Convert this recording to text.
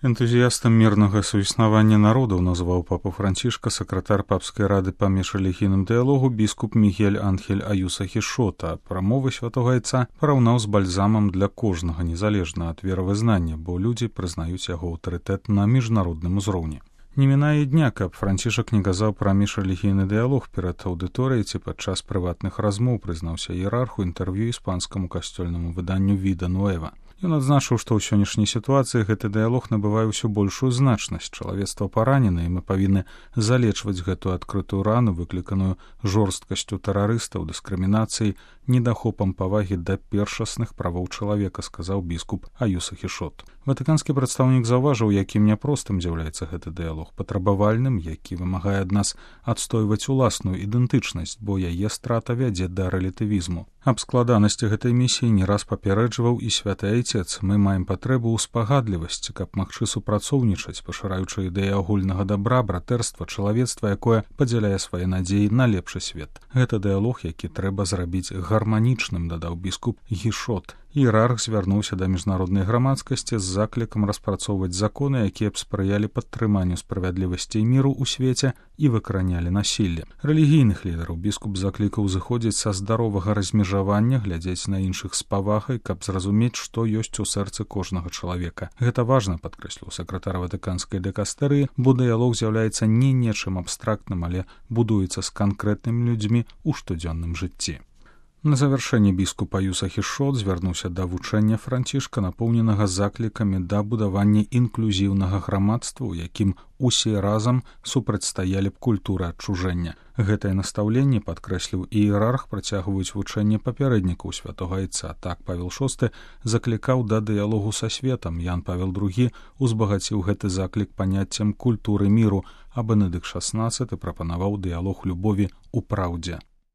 Энтузіястам мірнага суіснавання народаў назваў папу Францішка сакратар папскай рады па міжрэлігійным дыялогу біскуп Мігель Анхель Аюса Хішота. Прамовы святога айца параўнаў з бальзамам для кожнага, незалежна ад веравызнання, бо людзі прызнаюць яго аўтарытэт на міжнародным узроўні. Не мінае дня, каб Францішак не казаў пра міжрэлігійны дыялог перад аўдыторыяй ці падчас прыватных размоў, прызнаўся іерарху інтэрв'ю іспанскаму касцёльнаму выданню «Vida Nueva». Ён адзначыў, што ў сённяшняй сітуацыі гэты дыялог набывае ўсё большую значнасць. Чалавецтва паранена, і мы павінны залечваць гэтую адкрытую рану, выкліканую жорсткасцю тэрарыстаў, дыскрымінацыяй, недахопам павагі да першасных правоў чалавека, сказаў біскуп Аюса Хішот. Ватыканскі прадстаўнік заўважыў, якім няпростым з'яўляецца гэты дыялог, патрабавальным, які вымагае ад нас адстойваць уласную ідэнтычнасць, бо яе страта вядзе да рэлятывізму. Аб складанасці гэтай місіі не раз папярэджваў і святы айцец. Мы маем патрэбу ў спагадлівасці, каб магчы супрацоўнічаць, пашыраючы ідэі агульнага дабра, братэрства, чалавецтва, якое падзяляе свае надзеі на лепшы свет. Гэта дыялог, які трэба зрабіць гарманічным, дадаў біскуп Хішот. Іерарх звярнуўся да міжнароднай грамадскасці з заклікам распрацоўваць законы, якія б спрыялі падтрыманню справядлівасці і міру ў свеце і выкаранялі насілле. Рэлігійных лідараў біскуп заклікаў зыходзіць са здаровага размежавання, глядзець на іншых з павагай, каб зразумець, што ёсць у сэрцы кожнага чалавека. Гэта важна, падкрэсліў сакратар ватыканскай дыкастэрыі, бо дыялог з'яўляецца не нечым абстрактным, але будуецца з канкрэтнымі людзьмі ў штодзённым жыцці. На завяршэнне біскуп Аюса Хішот звярнуўся да вучэння Францішка, напоўненага заклікамі да будавання інклюзіўнага грамадства, у якім усе разам супрацьстаялі б культуры адчужэння. Гэтае настаўленне, падкрэсліў іерарх, працягваюць вучэнне папярэднікаў святога айца. Так Павел VI заклікаў да дыялогу са светам, Ян Павел II узбагаціў гэты заклік паняццем культуры міру, а Бенедыкт XVI прапанаваў дыялог любові ў праўдзе.